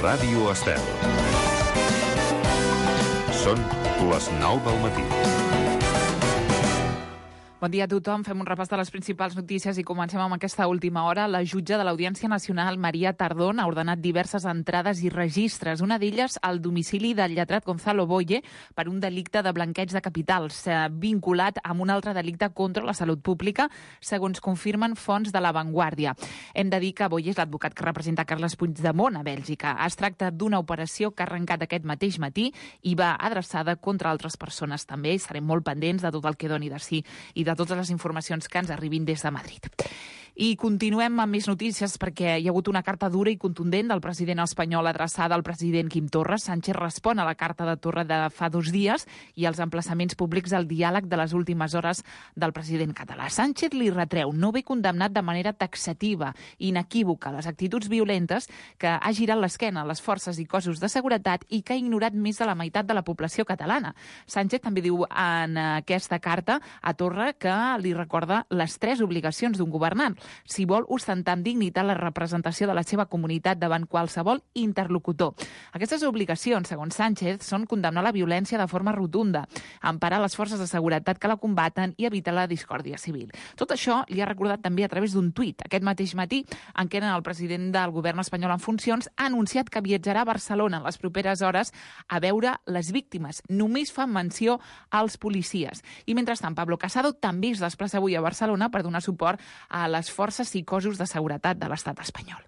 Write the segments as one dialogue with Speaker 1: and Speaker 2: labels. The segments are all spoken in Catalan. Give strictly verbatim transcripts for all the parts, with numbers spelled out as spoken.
Speaker 1: Ràdio Estel. Són les nou del matí.
Speaker 2: Bon dia a tothom. Fem un repàs de les principals notícies i comencem amb aquesta última hora. La jutge de l'Audiència Nacional, Maria Tardón, ha ordenat diverses entrades i registres, una d'elles al domicili del lletrat Gonzalo Boye per un delicte de blanqueig de capitals, vinculat amb un altre delicte contra la salut pública, segons confirmen fonts de La Vanguardia. Hem de dir que Boye és l'advocat que representa Carles Puigdemont a Bèlgica. Es tracta d'una operació que ha arrencat aquest mateix matí i va adreçada contra altres persones també. I serem molt pendents de tot el que doni de si i de totes les informacions que ens arribin des de Madrid. I continuem amb més notícies perquè hi ha hagut una carta dura i contundent del president espanyol adreçada al president Quim Torra. Sánchez respon a la carta de Torra de fa dos dies i als emplaçaments públics al diàleg de les últimes hores del president català. Sánchez li retreu no haver condemnat de manera taxativa i inequívoca les actituds violentes, que ha girat l'esquena a les forces i cossos de seguretat i que ha ignorat més de la meitat de la població catalana. Sánchez també diu en aquesta carta a Torra que li recorda les tres obligacions d'un governant: si vol ostentar amb dignitat la representació de la seva comunitat davant qualsevol interlocutor. Aquestes obligacions, segons Sánchez, són condemnar la violència de forma rotunda, emparar les forces de seguretat que la combaten i evitar la discòrdia civil. Tot això li ha recordat també a través d'un tuit. Aquest mateix matí, en què el president del govern espanyol en funcions ha anunciat que viatjarà a Barcelona en les properes hores a veure les víctimes. Només fa menció als policies. I mentrestant, Pablo Casado també es desplaça avui a Barcelona per donar suport a les forces i cossos de seguretat de l'estat espanyol.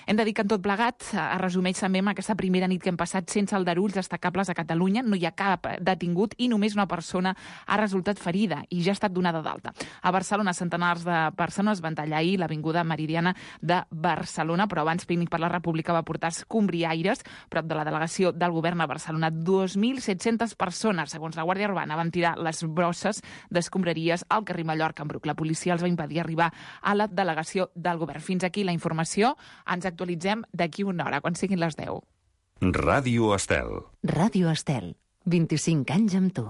Speaker 2: Hem de dir que en tot plegat es resumeix també amb aquesta primera nit que hem passat sense aldarulls destacables a Catalunya. No hi ha cap detingut i només una persona ha resultat ferida i ja ha estat donada d'alta. A Barcelona, centenars de persones van tallar ahir l'avinguda Meridiana de Barcelona, però abans Pícnic per la República va portar escombriaires prop de la delegació del govern a Barcelona. dos mil set-centes persones, segons la Guàrdia Urbana, van tirar les brosses d'escombraries al carrer Mallorca en Bruc. La policia els va impedir arribar a la delegació del govern. Fins aquí la informació. Ens actualitzem d'aquí una hora, quan siguin les deu.
Speaker 1: Ràdio Estel.
Speaker 3: Ràdio Estel. vint-i-cinc anys amb tu.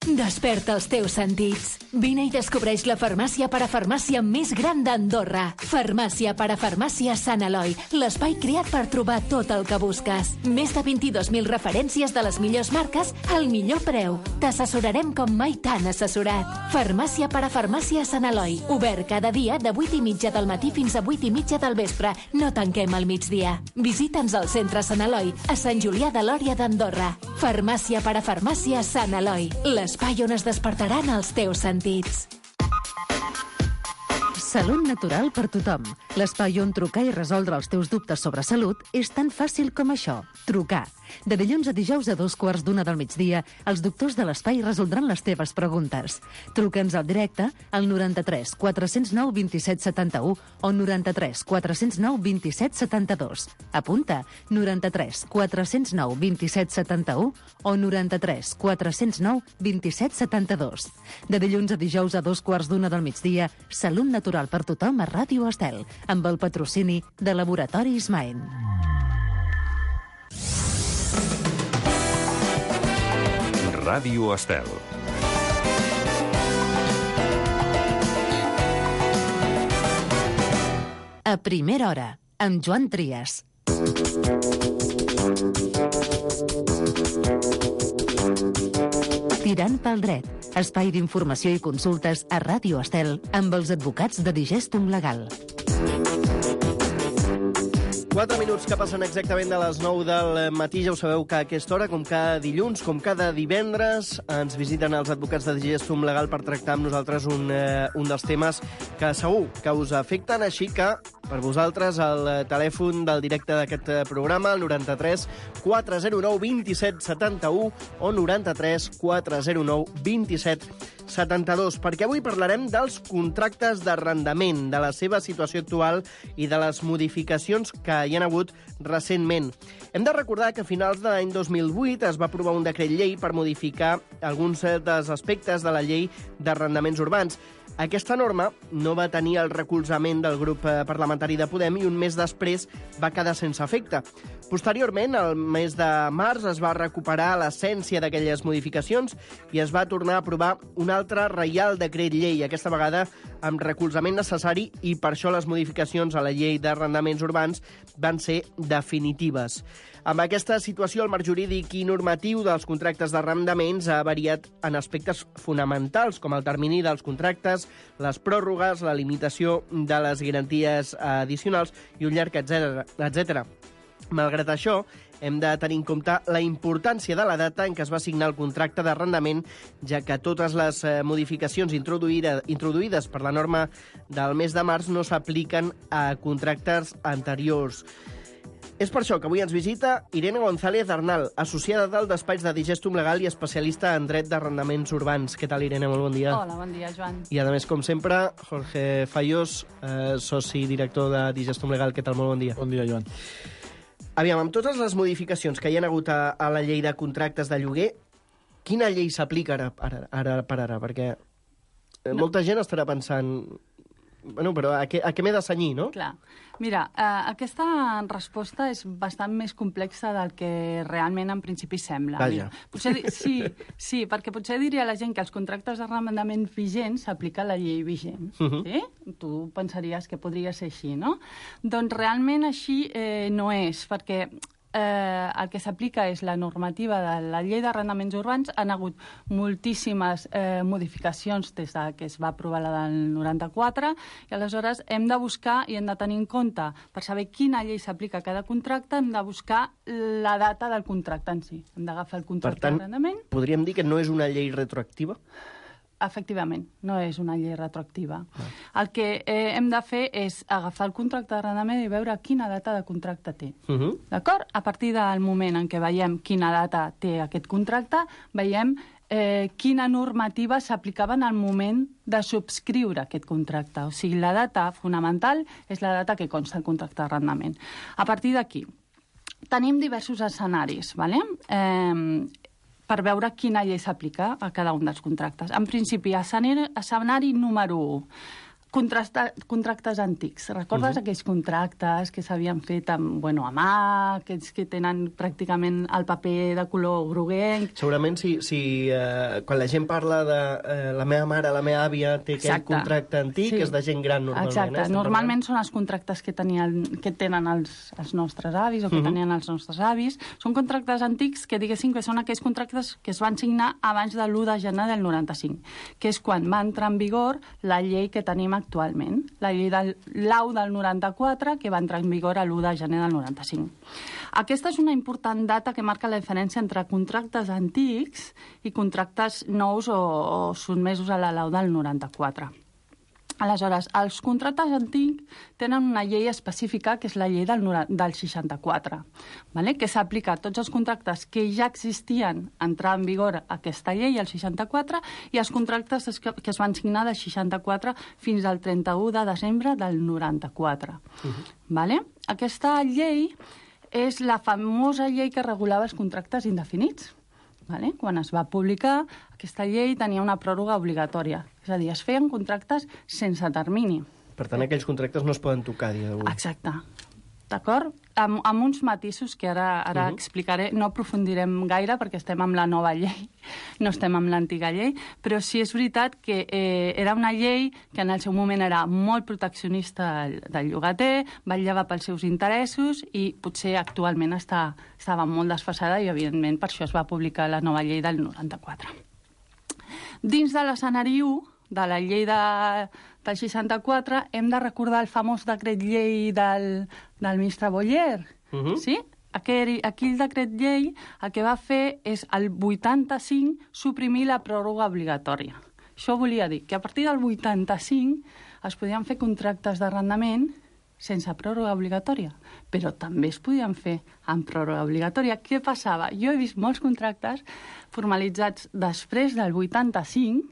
Speaker 4: Desperta els teus sentits. Vine i descobreix la farmàcia parafarmàcia més gran d'Andorra. Farmàcia parafarmàcia Sant Eloi, l'espai creat per trobar tot el que busques. Més de vint-i-dos mil referències de les millors marques al millor preu. T'assessorarem com mai t'han assessorat. Farmàcia parafarmàcia Sant Eloi, obert cada dia de vuit i mitja del matí fins a vuit i mitja del vespre. No tanquem al migdia. Visita'ns al centre Sant Eloi, a Sant Julià de Lòria d'Andorra. Farmàcia parafarmàcia Sant Eloi, les l'espai on es despertaran els teus sentits.
Speaker 3: Salut natural per tothom. L'espai on trucar i resoldre els teus dubtes sobre salut és tan fàcil com això. Trucar. De dilluns a dijous a dos quarts d'una del migdia, els doctors de l'espai resoldran les teves preguntes. Truca'ns al directe al noranta-tres quatre zero nou vint set setanta-u o noranta-tres quatre zero nou vint set setanta-dos. Apunta, noranta-tres quatre zero nou vint set setanta-u o noranta-tres quatre zero nou vint set setanta-dos. De dilluns a dijous a dos quarts d'una del migdia, Salut natural per tothom a Ràdio Estel, amb el patrocini de Laboratoris Maen.
Speaker 1: Ràdio Estel.
Speaker 3: A primera hora, amb Joan Trias. Tirant pel dret, espai d'informació i consultes a Ràdio Estel amb els advocats de Digestum Legal.
Speaker 5: Quatre minuts que passen exactament de les nou del matí. Ja ho sabeu que a aquesta hora, com cada dilluns, com cada divendres, ens visiten els advocats de Digestum Legal per tractar amb nosaltres un, eh, un dels temes que segur que us afecten. Així que, per vosaltres, el telèfon del directe d'aquest programa, el noranta-tres quatre zero nou vint set setanta-u o noranta-tres quatre zero nou vint set setanta-dos, perquè avui parlarem dels contractes d'arrendament, de la seva situació actual i de les modificacions que hi ha hagut recentment. Hem de recordar que a finals de l'any dos mil vuit es va aprovar un decret llei per modificar alguns dels aspectes de la llei d'arrendaments urbans. Aquesta norma no va tenir el recolzament del grup parlamentari parlamentari de Podem i un mes després va quedar sense efecte. Posteriorment, el mes de març, es va recuperar l'essència d'aquelles modificacions i es va tornar a aprovar un altre reial decret llei, aquesta vegada amb recolzament necessari, i per això les modificacions a la llei d'arrendaments urbans van ser definitives. Amb aquesta situació, el marc jurídic i normatiu dels contractes d'arrendaments ha variat en aspectes fonamentals, com el termini dels contractes, les pròrrogues, la limitació de les garanties addicionals i un llarg etcètera. Malgrat això, hem de tenir en compte la importància de la data en què es va signar el contracte d'arrendament, ja que totes les modificacions introduïdes, introduïdes per la norma del mes de març no s'apliquen a contractes anteriors. És per això que avui ens visita Irene González Arnal, associada del despatx de Digestum Legal i especialista en dret d'arrendaments urbans. Què tal, Irene? Molt bon dia.
Speaker 6: Hola, bon dia, Joan.
Speaker 5: I, a més, com sempre, Jorge Fayós, eh, soci director de Digestum Legal. Què tal? Molt bon dia.
Speaker 7: Bon dia, Joan.
Speaker 5: Aviam, amb totes les modificacions que hi ha hagut a, a la llei de contractes de lloguer, quina llei s'aplica ara, ara, ara per ara? Perquè no. molta gent estarà pensant... Bueno, però a què, a què m'he de cenyir, no?
Speaker 6: Clar. Mira, eh, aquesta resposta és bastant més complexa del que realment en principi sembla.
Speaker 5: Vaja.
Speaker 6: Mira, potser, sí, sí, perquè potser diria la gent que els contractes d'arrendament vigents s'aplica la llei vigent. Uh -huh. Sí? Tu pensaries que podria ser així, no? Doncs realment així eh, no és, perquè... Eh, el que s'aplica és la normativa de la llei d'arrendaments urbans. Han hagut moltíssimes eh, modificacions des de que es va aprovar la del noranta-quatre, i aleshores hem de buscar i hem de tenir en compte, per saber quina llei s'aplica a cada contracte, hem de buscar la data del contracte en si. Hem d'agafar el contracte d'arrendament.
Speaker 5: Per tant, podríem dir que no és una llei retroactiva?
Speaker 6: Efectivament, no és una llei retroactiva. Ah. El que eh, hem de fer és agafar el contracte d'arrendament i veure quina data de contracte té. Uh -huh. D'acord? A partir del moment en què veiem quina data té aquest contracte, veiem eh, quina normativa s'aplicava en el moment de subscriure aquest contracte. O sigui, la data fonamental és la data que consta el contracte d'arrendament. A partir d'aquí, tenim diversos escenaris, ¿vale? Eh, per veure quina llei s'aplica a cada un dels contractes. En principi, escenari, escenari número u, contractes antics. Recordes uh -huh. aquells contractes que s'havien fet amb, bueno, a mà, aquells que tenen pràcticament el paper de color groguenc?
Speaker 5: Segurament si, si eh, quan la gent parla de eh, la meva mare, la meva àvia, té aquell Exacte. contracte antic, sí. és de gent gran normalment.
Speaker 6: Exacte.
Speaker 5: Eh?
Speaker 6: Normalment són els contractes que, tenien, que tenen els, els nostres avis o que uh -huh. tenien els nostres avis. Són contractes antics que, diguéssim, que són aquells contractes que es van signar abans de l'u de gener del noranta-cinc, que és quan va entrar en vigor la llei que tenim actualment, la llei del l'A U del noranta-quatre, que va entrar en vigor l'u de gener del noranta-cinc. Aquesta és una important data que marca la diferència entre contractes antics i contractes nous o, o sotmesos a la L A U del noranta-quatre. Aleshores, els contractes antics tenen una llei específica, que és la llei del, del seixanta-quatre, vale? Que s'aplica a tots els contractes que ja existien a entrar en vigor aquesta llei, el seixanta-quatre, i els contractes que, que es van signar del seixanta-quatre fins al trenta-u de desembre del noranta-quatre. Uh-huh. Vale? Aquesta llei és la famosa llei que regulava els contractes indefinits. Vale? Quan es va publicar, aquesta llei tenia una pròrroga obligatòria. És a dir, es feien contractes sense termini.
Speaker 5: Per tant, aquells contractes no es poden tocar a dia d'avui.
Speaker 6: Exacte. D'acord? Amb, amb uns matisos que ara, ara uh-huh. explicaré. No aprofundirem gaire perquè estem amb la nova llei, no estem amb l'antiga llei, però sí és veritat que eh, era una llei que en el seu moment era molt proteccionista del llogater, vetllava pels seus interessos i potser actualment està, estava molt desfasada i, evidentment, per això es va publicar la nova llei del noranta-quatre. Dins de l'escenari u, de la llei de, del seixanta-quatre, hem de recordar el famós decret llei del, del ministre Boyer. Uh-huh. Sí? Aquell, aquell decret llei el que va fer és el vuitanta-cinc suprimir la pròrroga obligatòria. Això volia dir que a partir del vuitanta-cinc es podien fer contractes d'arrendament sense pròrroga obligatòria, però també es podien fer amb pròrroga obligatòria. Què passava? Jo he vist molts contractes formalitzats després del vuitanta-cinc,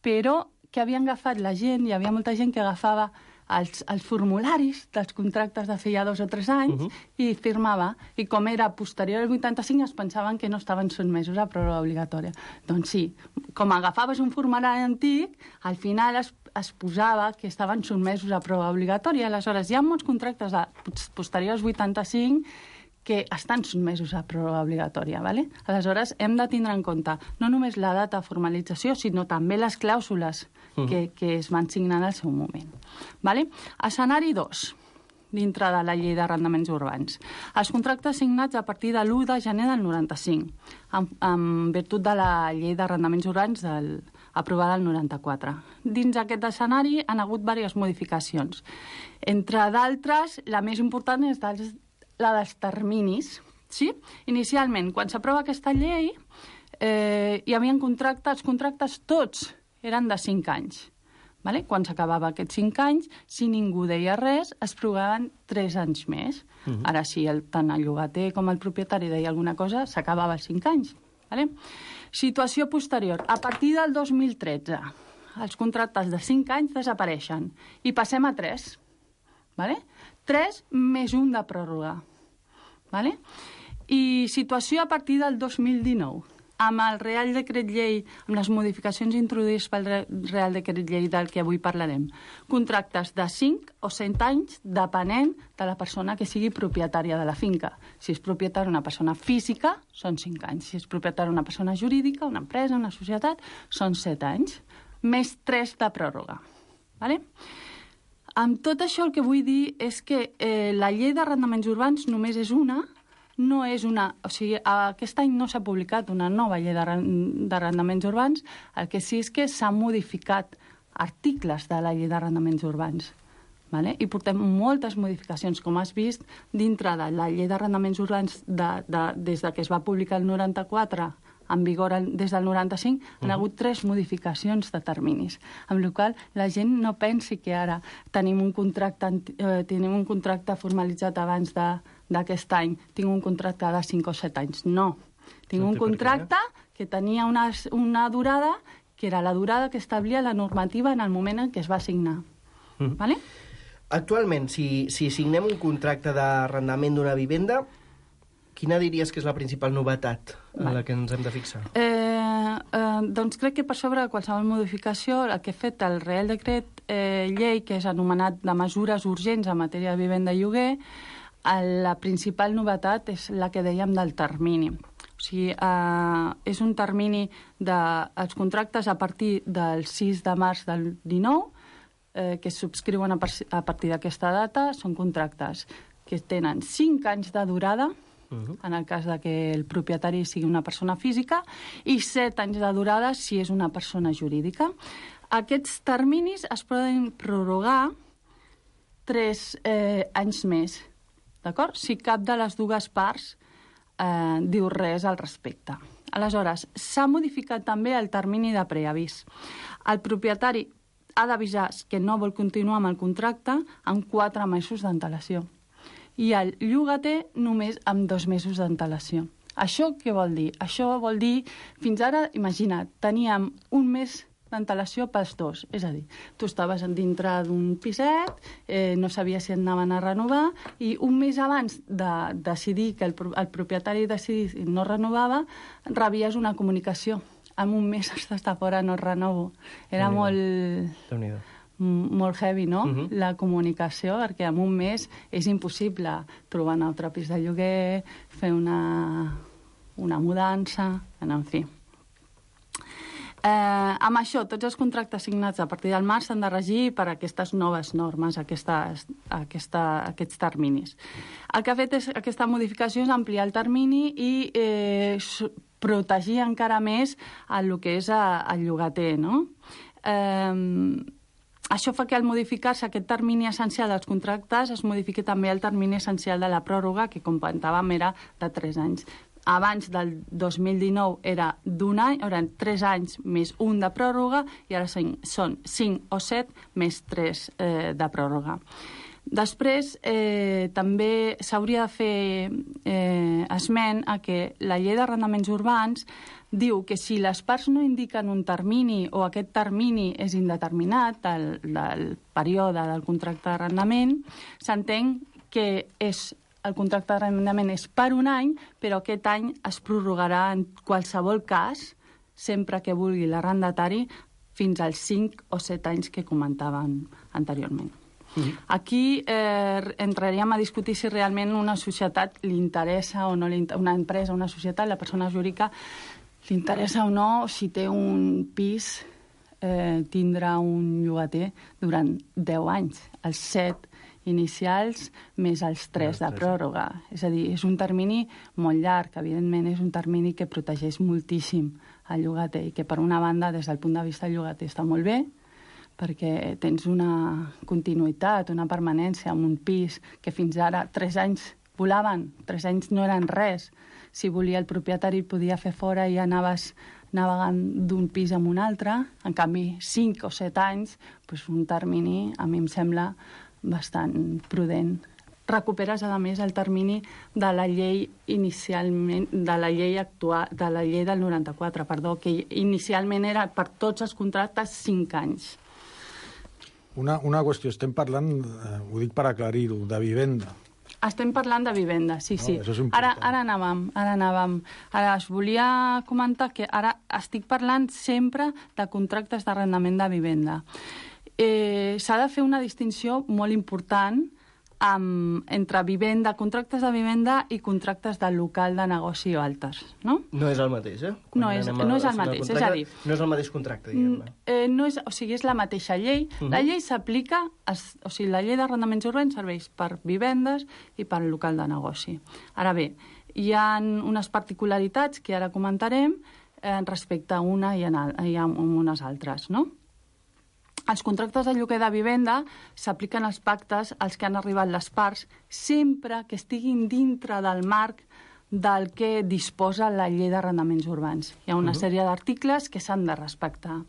Speaker 6: però que havien agafat la gent, hi havia molta gent que agafava els, els formularis dels contractes de feia dos o tres anys uh -huh. i firmava. I com era posterior al vuitanta-cinc es pensaven que no estaven sotmesos a pròrroga obligatòria. Doncs sí, com agafaves un formulari antic, al final es, es posava que estaven sotmesos a pròrroga obligatòria. Aleshores, hi ha molts contractes de posteriors vuitanta-cinc que estan sotmesos a pròrroga obligatòria. ¿Vale? Aleshores, hem de tindre en compte no només la data de formalització, sinó també les clàusules uh -huh. que, que es van signar en el seu moment. ¿Vale? Escenari dos, dintre de la llei d'arrendaments urbans. Els contractes signats a partir de l'u de gener del noranta-cinc, en, en virtut de la llei d'arrendaments urbans del, aprovada el noranta-quatre. Dins aquest escenari han hagut diverses modificacions. Entre d'altres, la més important és dels la dels terminis. Sí? Inicialment, quan s'aprova aquesta llei, eh, hi havia contractes, els contractes tots eren de cinc anys. Vale? Quan s'acabava aquests cinc anys, si ningú deia res, es prorrogaven tres anys més. Uh -huh. Ara, si el, tant el llogater com el propietari deia alguna cosa, s'acabava els cinc anys. Vale? Situació posterior. A partir del dos mil tretze, els contractes de cinc anys desapareixen i passem a tres. Vale? tres més un de pròrroga. Vale? I situació a partir del dos mil dinou. Amb el Real Decret Llei, amb les modificacions introduïdes pel Real Decret Llei del que avui parlarem, contractes de cinc o cent anys, depenent de la persona que sigui propietària de la finca. Si és propietària una persona física, són cinc anys. Si és propietària una persona jurídica, una empresa, una societat, són set anys. Més tres de pròrroga. Vale? Amb tot això el que vull dir és que eh, la llei d'arrendaments urbans només és una, no és una... O sigui, aquest any no s'ha publicat una nova llei d'arrendaments urbans, el que sí és que s'han modificat articles de la llei d'arrendaments urbans. Vale? I portem moltes modificacions, com has vist, dintre de la llei d'arrendaments urbans de, de, des de que es va publicar el noranta-quatre en vigor des del noranta-cinc, uh-huh. han hagut tres modificacions de terminis, amb la qual la gent no pensi que ara tenim un contracte, eh, tenim un contracte formalitzat abans d'aquest any, tinc un contracte de cinc o set anys. No, tinc un contracte que tenia una, una durada, que era la durada que establia la normativa en el moment en què es va signar. Uh-huh. Vale?
Speaker 5: Actualment, si, si signem un contracte d'arrendament d'una vivenda, quina diries que és la principal novetat en vale. la que ens hem de fixar?
Speaker 6: Eh, eh, doncs crec que per sobre de qualsevol modificació el que ha fet el Real Decret eh, Llei, que és anomenat de mesures urgents en matèria de vivenda i lloguer, la principal novetat és la que dèiem del termini. O sigui, eh, és un termini dels contractes a partir del sis de març del dinou, eh, que es subscriuen a, a partir d'aquesta data, són contractes que tenen cinc anys de durada, Uh-huh. en el cas de que el propietari sigui una persona física, i set anys de durada si és una persona jurídica. Aquests terminis es poden prorrogar tres eh, anys més, d'acord? Si cap de les dues parts eh, diu res al respecte. Aleshores, s'ha modificat també el termini de preavís. El propietari ha d'avisar que no vol continuar amb el contracte amb quatre mesos d'antelació. I el llogater només amb dos mesos d'antelació. Això què vol dir? Això vol dir, fins ara, imagina't, teníem un mes d'antelació pels dos. És a dir, tu estaves dintre d'un piset, eh, no sabies si et anaven a renovar, i un mes abans de decidir que el, el propietari decidís i no renovava, rebies una comunicació. En un mes has d'estar fora, no renovo. Era molt...
Speaker 5: Déu-n'hi-do.
Speaker 6: molt heavy, no?,
Speaker 5: uh-huh.
Speaker 6: la comunicació, perquè en un mes és impossible trobar un altre pis de lloguer, fer una, una mudança, en fi. Eh, amb això, tots els contractes signats a partir del març s'han de regir per aquestes noves normes, aquestes, aquesta, aquests terminis. El que ha fet és, aquesta modificació és ampliar el termini i eh, protegir encara més el que és el llogater, no? Eh, Això fa que al modificar-se aquest termini essencial dels contractes es modifiqui també el termini essencial de la pròrroga, que, com comentàvem, era de tres anys. Abans del dos mil dinou era d'un any, eren tres anys més un de pròrroga, i ara són cinc o set més tres eh, de pròrroga. Després, eh, també s'hauria de fer eh, esment a que la llei d'arrendaments urbans diu que si les parts no indiquen un termini o aquest termini és indeterminat del, del període del contracte d'arrendament, s'entén que és, el contracte d'arrendament és per un any, però aquest any es prorrogarà en qualsevol cas, sempre que vulgui l'arrendatari, fins als cinc o set anys que comentàvem anteriorment. Aquí eh, entraríem a discutir si realment una societat li interessa o no, li, una empresa, una societat, la persona jurídica, li interessa o no, si té un pis, eh, tindrà un llogater durant deu anys, els set inicials més els tres de pròrroga. És a dir, és un termini molt llarg, evidentment és un termini que protegeix moltíssim el llogater i que per una banda, des del punt de vista del llogater, està molt bé, perquè tens una continuïtat, una permanència en un pis que fins ara tres anys volaven, tres anys no eren res. Si volia el propietari podia fer fora i anaves navegant d'un pis a un altre. En canvi, cinc o set anys, doncs un termini, a mi em sembla bastant prudent. Recuperes, a més, el termini de la llei inicialment, de la llei actual, de la llei del noranta-quatre, perdó, que inicialment era per tots els contractes cinc anys.
Speaker 7: Una, una qüestió, estem parlant, eh, ho dic per aclarir-ho, de vivenda.
Speaker 6: Estem parlant de vivenda, sí,
Speaker 7: No,
Speaker 6: sí.
Speaker 7: això és
Speaker 6: Ara,
Speaker 7: important.
Speaker 6: ara anàvem, ara anàvem. Ara us volia comentar que ara estic parlant sempre de contractes d'arrendament de vivenda. Eh, s'ha de fer una distinció molt important amb, entre vivenda, contractes de vivenda i contractes de local de negoci o altres, no?
Speaker 5: No és el mateix, eh? Quan
Speaker 6: No és-
Speaker 5: anem a
Speaker 6: no és el
Speaker 5: signar
Speaker 6: mateix,
Speaker 5: contracte,
Speaker 6: és a dir-
Speaker 5: No és el mateix contracte, diguem-ne.
Speaker 6: Eh, no és, o sigui, és la mateixa llei. Uh -huh. La llei s'aplica, als- o sigui, la llei d'arrendaments urbans serveix per vivendes i per local de negoci. Ara bé, hi ha unes particularitats que ara comentarem eh, respecte a una i a, i a unes altres, no? Els contractes de lloguer de vivenda s'apliquen als pactes als que han arribat les parts sempre que estiguin dintre del marc del que disposa la llei d'arrendaments urbans. Hi ha una uh -huh. sèrie d'articles que s'han de respectar.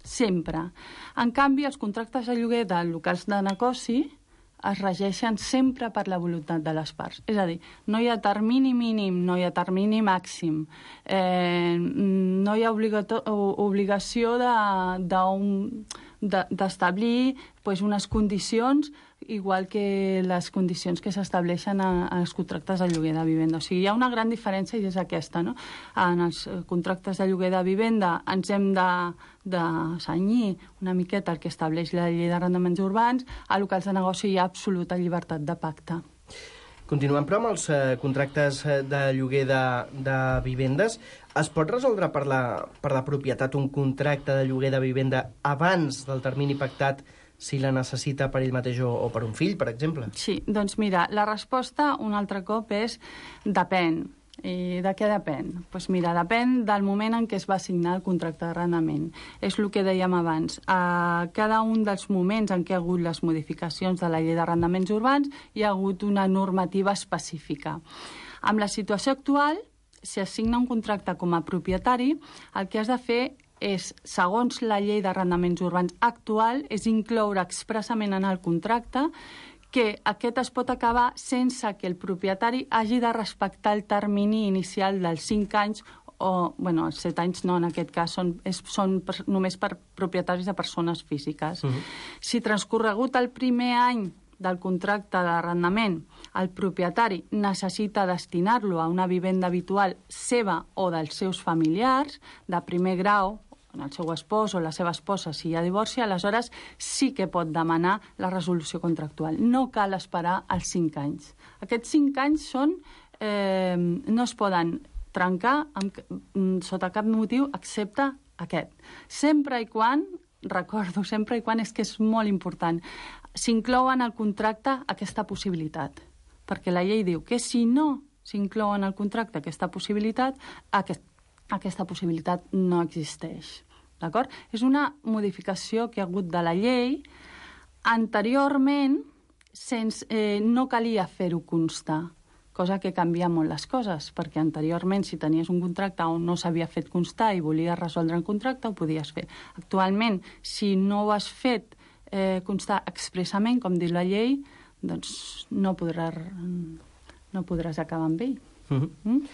Speaker 6: Sempre. En canvi, els contractes de lloguer de locals de negoci es regeixen sempre per la voluntat de les parts. És a dir, no hi ha termini mínim, no hi ha termini màxim, eh, no hi ha obligato- obligació de, de de, d'establir pues, unes condicions igual que les condicions que s'estableixen als contractes de lloguer de vivenda. O sigui, hi ha una gran diferència i és aquesta, no? En els contractes de lloguer de vivenda ens hem de, de cenyir una miqueta el que estableix la llei d'arrendaments urbans, a locals de negoci hi ha absoluta llibertat de pacte.
Speaker 5: Continuem, però, amb els eh, contractes de lloguer de, de vivendes. Es pot resoldre per la, per la propietat un contracte de lloguer de vivenda abans del termini pactat si la necessita per ell mateix o, o per un fill, per exemple?
Speaker 6: Sí, doncs mira, la resposta un altre cop és depèn. I de què depèn? Doncs pues mira, depèn del moment en què es va signar el contracte d'arrendament. És el que dèiem abans. A cada un dels moments en què ha hagut les modificacions de la llei d'arrendaments urbans hi ha hagut una normativa específica. Amb la situació actual, si es signa un contracte com a propietari, el que has de fer és, segons la llei d'arrendaments urbans actual, és incloure expressament en el contracte que aquest es pot acabar sense que el propietari hagi de respectar el termini inicial dels cinc anys o, bueno, els set anys no, en aquest cas són, és, són per, només per propietaris de persones físiques. Uh-huh. Si transcorregut el primer any del contracte d'arrendament el propietari necessita destinar-lo a una vivenda habitual seva o dels seus familiars de primer grau, el seu espòs o la seva esposa, si hi ha divorci, aleshores sí que pot demanar la resolució contractual. No cal esperar els cinc anys. Aquests cinc anys són, eh, no es poden trencar amb, sota cap motiu excepte aquest. Sempre i quan, recordo, sempre i quan, és que és molt important, s'inclou en el contracte aquesta possibilitat. Perquè la llei diu que si no s'inclou en el contracte aquesta possibilitat, aquest, aquesta possibilitat no existeix. D'acord? És una modificació que ha hagut de la llei. Anteriorment, sense, eh, no calia fer-ho constar, cosa que canvia molt les coses, perquè anteriorment, si tenies un contracte on no s'havia fet constar i volies resoldre el contracte, ho podies fer. Actualment, si no ho has fet eh, constar expressament, com diu la llei, doncs no, podrà, no podràs acabar amb ell.
Speaker 5: Uh-huh. Mm?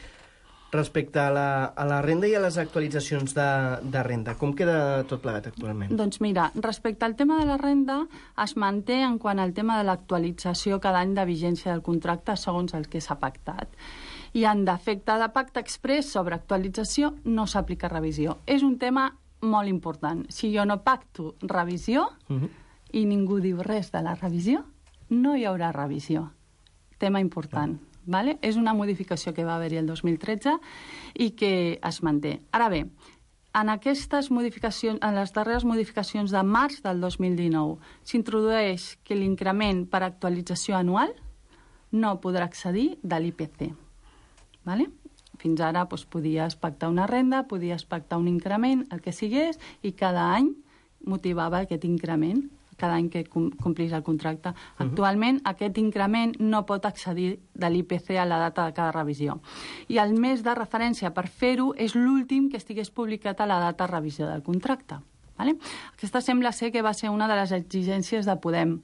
Speaker 5: Respecte a la, a la renda i a les actualitzacions de, de renda, com queda tot plegat actualment?
Speaker 6: Doncs mira, respecte al tema de la renda, es manté en quant al tema de l'actualització cada any de vigència del contracte segons el que s'ha pactat. I en defecte de pacte exprés sobre actualització no s'aplica revisió. És un tema molt important. Si jo no pacto revisió uh-huh. i ningú diu res de la revisió, no hi haurà revisió. Tema important. Uh-huh. Vale? És una modificació que va haver-hi el dos mil tretze i que es manté. Ara bé, en aquestes modificacions, en les darreres modificacions de març del dos mil dinou, s'introdueix que l'increment per actualització anual no podrà accedir de l'I P C. Vale? Fins ara doncs, podies pactar una renda, podies pactar un increment, el que sigués, i cada any motivava aquest increment, cada any que complís el contracte. Uh-huh. Actualment, aquest increment no pot accedir de l'I P C a la data de cada revisió. I el mes de referència per fer-ho és l'últim que estigués publicat a la data de revisió del contracte. Vale? Aquesta sembla ser que va ser una de les exigències de Podem.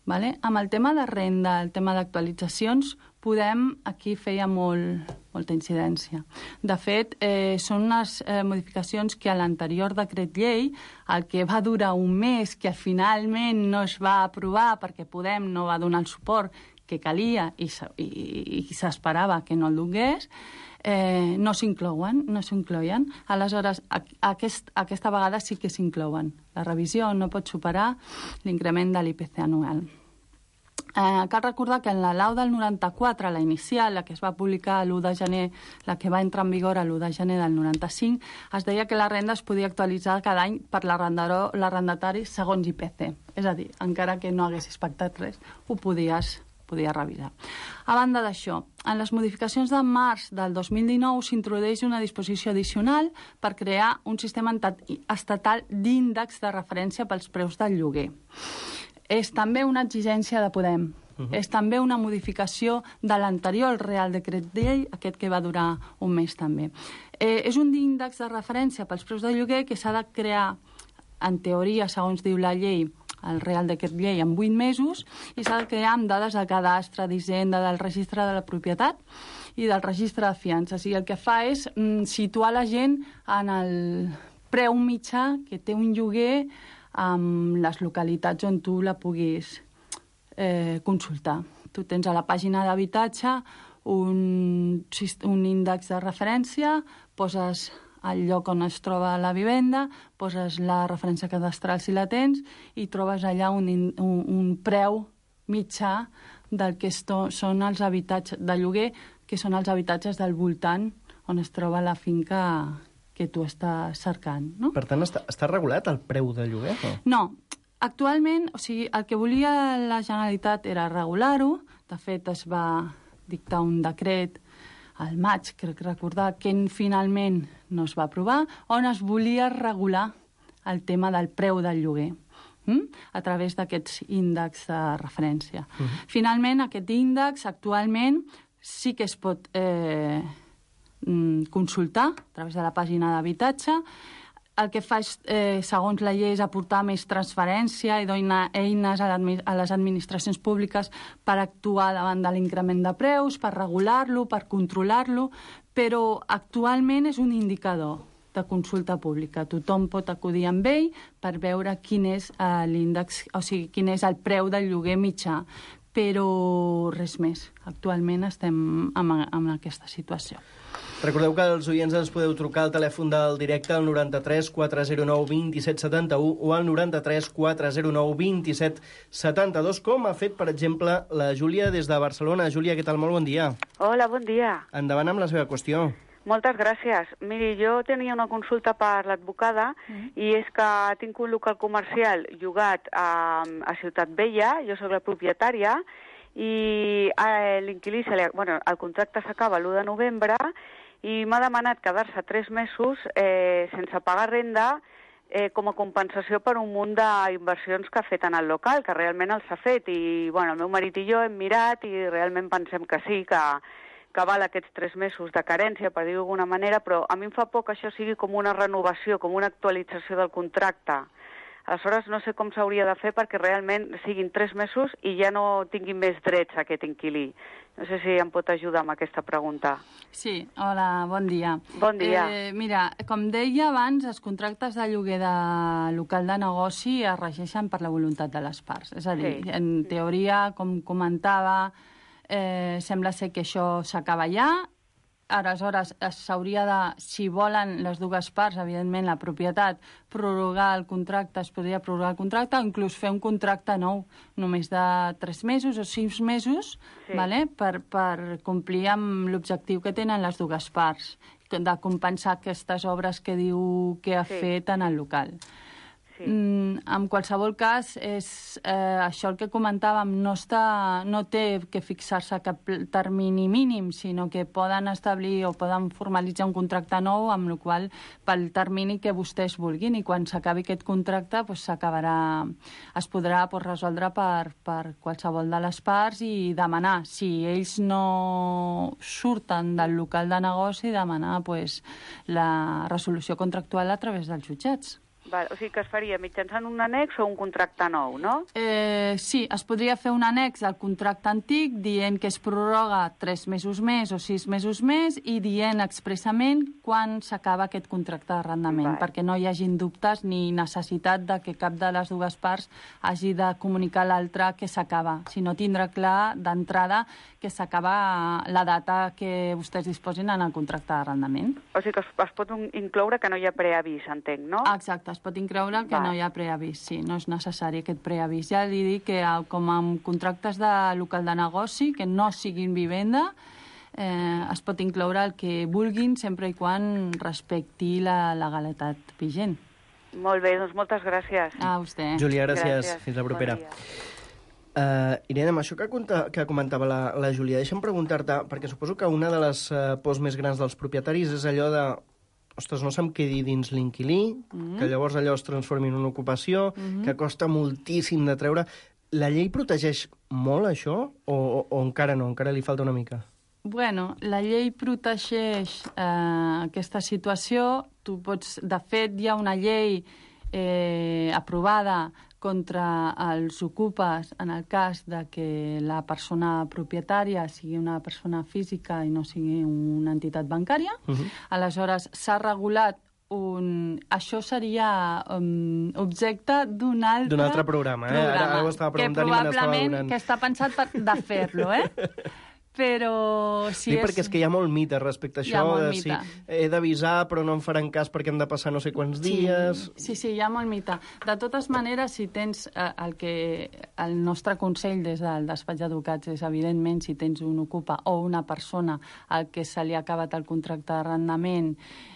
Speaker 6: Vale? Amb el tema de renda, el tema d'actualitzacions, Podem aquí feia molt, molta incidència. De fet, eh, són unes eh, modificacions que a l'anterior decret llei, el que va durar un mes, que finalment no es va aprovar perquè Podem no va donar el suport que calia i, i, i s'esperava que no el donés, eh, no s'inclouen, no s'incloien. Aleshores, a, aquest, aquesta vegada sí que s'inclouen. La revisió no pot superar l'increment de l'I P C anual. Eh, cal recordar que en la lau del noranta-quatre, la inicial, la que es va publicar l'u de gener, la que va entrar en vigor l'u de gener del noranta-cinc, es deia que la renda es podia actualitzar cada any per l'arrendatari segons I P C. És a dir, encara que no haguessis pactat res, ho podies, podies revisar. A banda d'això, en les modificacions de març del dos mil dinou s'introdueix una disposició addicional per crear un sistema estatal d'índex de referència pels preus del lloguer. És també una exigència de Podem. Uh-huh. És també una modificació de l'anterior Real Decret Llei, aquest que va durar un mes també. Eh, és un índex de referència pels preus de lloguer que s'ha de crear, en teoria, segons diu la llei, el Real Decret Llei, en vuit mesos, i s'ha de crear amb dades de cadastre, d'Hisenda, del registre de la propietat i del registre de fiances. I el que fa és mm, situar la gent en el preu mitjà que té un lloguer amb les localitats on tu la puguis eh, consultar. Tu tens a la pàgina d'habitatge un, un índex de referència, poses el lloc on es troba la vivenda, poses la referència cadastral si la tens i trobes allà un, un, un preu mitjà del que esto, són els habitatges de lloguer, que són els habitatges del voltant on es troba la finca que tu estàs cercant, no?
Speaker 5: Per tant, està, està regulat el preu de lloguer? O?
Speaker 6: No. Actualment, o sigui, el que volia la Generalitat era regular-ho. De fet, es va dictar un decret al maig, crec recordar, que finalment no es va aprovar, on es volia regular el tema del preu del lloguer hm? a través d'aquests índexs de referència. Uh-huh. Finalment, aquest índex actualment sí que es pot eh, consultar a través de la pàgina d'habitatge. El que fa, és, eh, segons la llei, és aportar més transferència i donar eines a, a les administracions públiques per actuar davant de l'increment de preus, per regular-lo, per controlar-lo, però actualment és un indicador de consulta pública. Tothom pot acudir amb ell per veure quin és eh, l'índex, o sigui, quin és el preu del lloguer mitjà, però res més. Actualment estem en, en aquesta situació.
Speaker 5: Recordeu que els oients ens podeu trucar al telèfon del directe al noranta-tres quatre zero nou vint set setanta-u o al noranta-tres quatre zero nou vint set setanta-dos, com ha fet, per exemple, la Júlia des de Barcelona. Júlia, què tal? Molt bon dia.
Speaker 8: Hola, bon dia.
Speaker 5: Endavant amb la seva qüestió.
Speaker 8: Moltes gràcies. Miri, jo tenia una consulta per l'advocada mm. i és que tinc un local comercial llogat a, a Ciutat Vella, jo soc la propietària, i eh, l'inquilí, bueno, el contracte s'acaba l'u de novembre i m'ha demanat quedar-se tres mesos eh, sense pagar renda eh, com a compensació per un munt d'inversions que ha fet en el local, que realment els ha fet. I bueno, el meu marit i jo hem mirat i realment pensem que sí, que, que val aquests tres mesos de carència, per dir-ho d'alguna manera, però a mi em fa por que això sigui com una renovació, com una actualització del contracte. Aleshores, no sé com s'hauria de fer perquè realment siguin tres mesos i ja no tinguin més drets aquest inquilí. No sé si em pot ajudar amb aquesta pregunta.
Speaker 6: Sí, hola, bon dia.
Speaker 8: Bon dia.
Speaker 6: Eh, mira, com deia abans, els contractes de lloguer de local de negoci es regeixen per la voluntat de les parts. És a dir, sí. En teoria, com comentava, eh, sembla ser que això s'acaba ja. Aleshores, s'hauria de, si volen les dues parts, evidentment la propietat, prorrogar el contracte, es podria prorrogar el contracte, o inclús fer un contracte nou, només de tres mesos o sis mesos, sí. vale? per, per complir amb l'objectiu que tenen les dues parts, de compensar aquestes obres que diu que ha sí. fet en el local. Sí. Mm, en qualsevol cas, és, eh, això el que comentàvem, no, està, no té que fixar-se cap termini mínim, sinó que poden establir o poden formalitzar un contracte nou, amb el qual pel termini que vostès vulguin, i quan s'acabi aquest contracte pues, s'acabarà, es podrà pues, resoldre per, per qualsevol de les parts i demanar, si ells no surten del local de negoci, demanar pues, la resolució contractual a través dels jutjats.
Speaker 8: Val, o sigui que es faria mitjançant un annex o un contracte nou, no?
Speaker 6: Eh, sí, es podria fer un annex al contracte antic dient que es prorroga tres mesos més o sis mesos més i dient expressament quan s'acaba aquest contracte d'arrendament, Val. perquè no hi hagin dubtes ni necessitat de que cap de les dues parts hagi de comunicar a l'altra que s'acaba, sinó tindrà clar d'entrada que s'acaba la data que vostès disposin en el contracte d'arrendament.
Speaker 8: O sigui que es, es pot incloure que no hi ha preavís, entenc, no?
Speaker 6: Exacte, es pot incloure que Va. no hi ha preavís, sí, no és necessari aquest preavís. Ja li dic que com amb contractes de local de negoci, que no siguin vivenda, eh, es pot incloure el que vulguin sempre i quan respecti la legalitat vigent.
Speaker 8: Molt bé, doncs moltes gràcies.
Speaker 6: A vostè.
Speaker 5: Júlia, gràcies. gràcies. Fins la propera. Bon Uh, Irene, amb això que, conta, que comentava la, la Júlia, deixa'm preguntar-te, perquè suposo que una de les uh, pors més grans dels propietaris és allò de ostres, no se'm quedi dins l'inquilí, mm-hmm. que llavors allò es transformi en una ocupació, mm-hmm. que costa moltíssim de treure. La llei protegeix molt això o, o, o encara no, encara li falta una mica?
Speaker 6: Bueno, la llei protegeix eh, aquesta situació. Tu pots, de fet, hi ha una llei eh, aprovada contra els ocupes en el cas de que la persona propietària sigui una persona física i no sigui una entitat bancària. Uh-huh. Aleshores, s'ha regulat un... Això seria um, objecte d'un altre...
Speaker 5: D'un altre programa, eh?
Speaker 6: programa,
Speaker 5: Ara, ara ho estava preguntant
Speaker 6: que
Speaker 5: i me n'estava donant.
Speaker 6: Que probablement que està pensat per, de fer-lo, eh? Però si
Speaker 5: sí,
Speaker 6: és...
Speaker 5: perquè és que hi ha molt mite respecte a això, de si he d'avisar però no em faran cas perquè hem de passar no sé quants dies...
Speaker 6: Sí, sí, sí, hi ha molt mite. De totes maneres, si tens eh, el que... El nostre consell des del despatx d'advocats és, evidentment, si tens un ocupa o una persona al que se li ha acabat el contracte d'arrendament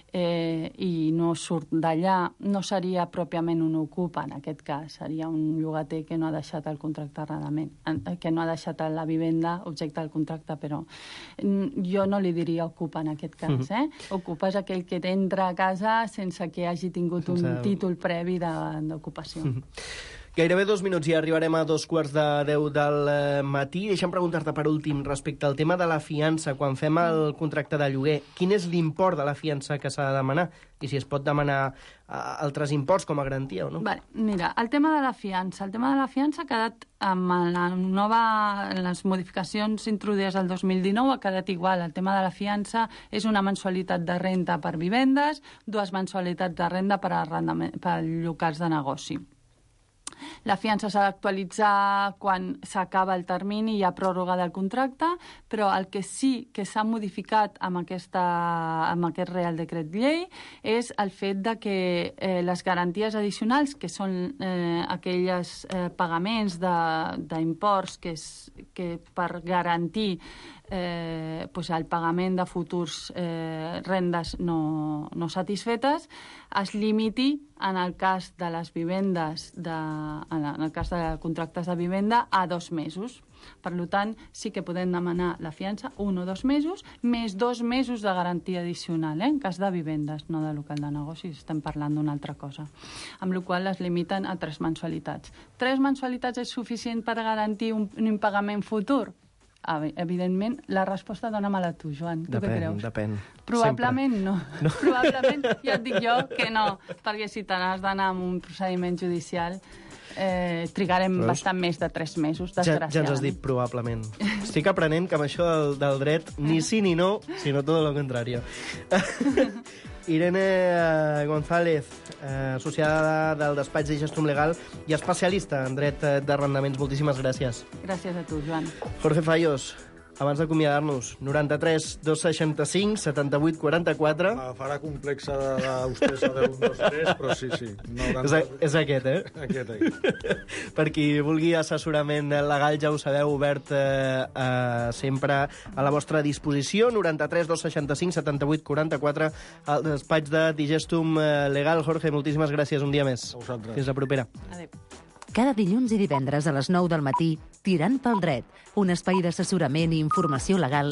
Speaker 6: eh, i no surt d'allà, no seria pròpiament un ocupa, en aquest cas. Seria un llogater que no ha deixat el contracte d'arrendament, que no ha deixat la vivenda objecte del contracte, però jo no li diria ocupa en aquest cas. Uh-huh. eh? Ocupa és aquell que entra a casa sense que hagi tingut un sense... títol previ d'ocupació.
Speaker 5: Uh-huh. Gairebé dos minuts i arribarem a dos quarts de deu del matí. Deixa'm preguntar-te per últim respecte al tema de la fiança. Quan fem el contracte de lloguer, quin és l'import de la fiança que s'ha de demanar? I si es pot demanar altres imports com a garantia o no?
Speaker 6: Vale, mira, el tema de la fiança. El tema de la fiança ha quedat amb la nova, les modificacions introduïdes el dos mil dinou ha quedat igual. El tema de la fiança és una mensualitat de renda per vivendes, dues mensualitats de renda per, per locals de negoci. La fiança s'ha d'actualitzar quan s'acaba el termini i hi ha pròrroga del contracte, però el que sí que s'ha modificat amb, aquesta, amb aquest Real Decret Llei és el fet de que eh, les garanties addicionals, que són eh, aquells eh, pagaments d'imports que, és, que per garantir eh, pues el pagament de futurs eh, rendes no, no satisfetes, es limiti en el cas de les vivendes, de, en el cas de contractes de vivenda, a dos mesos. Per tant, sí que podem demanar la fiança un o dos mesos, més dos mesos de garantia addicional, eh? En cas de vivendes, no de local de negocis, estem parlant d'una altra cosa. Amb la qual es limiten a tres mensualitats. Tres mensualitats és suficient per garantir un, un impagament futur? evidentment, la resposta dona-me-la tu, Joan. Tu
Speaker 5: depèn,
Speaker 6: què creus?
Speaker 5: Depèn,
Speaker 6: Probablement
Speaker 5: sempre.
Speaker 6: no. no. Probablement, ja et dic jo que no, perquè si te n'has d'anar amb un procediment judicial eh, trigarem
Speaker 5: Veus?
Speaker 6: bastant més de tres mesos,
Speaker 5: Ja,
Speaker 6: desgraciadament.
Speaker 5: ja ens has dit probablement. Estic aprenent que amb això del, del dret ni sí ni no, sinó tot el contrari. Irene eh, González, eh, associada del despatx de Gestum Legal i especialista en dret eh, d'arrendaments. Moltíssimes gràcies.
Speaker 6: Gràcies a tu, Joan.
Speaker 5: Jorge Fallos, abans d'acomiadar-nos, noranta-tres dos seixanta-cinc setanta-vuit quaranta-quatre.
Speaker 7: La farà complexa d'ustedes a deu, un, dos, tres, però sí, sí.
Speaker 5: No, és, a, és aquest, eh?
Speaker 7: Aquest, eh?
Speaker 5: Per qui vulgui assessorament legal, ja ho sabeu, obert eh, eh, sempre a la vostra disposició. noranta-tres dos seixanta-cinc setanta-vuit quaranta-quatre, al despatx de Digestum Legal. Jorge, moltíssimes gràcies un dia més.
Speaker 7: A vosaltres.
Speaker 5: Fins la propera.
Speaker 6: Adéu.
Speaker 3: Cada dilluns i divendres a les nou del matí, Tirant pel dret, un espai d'assessorament i informació legal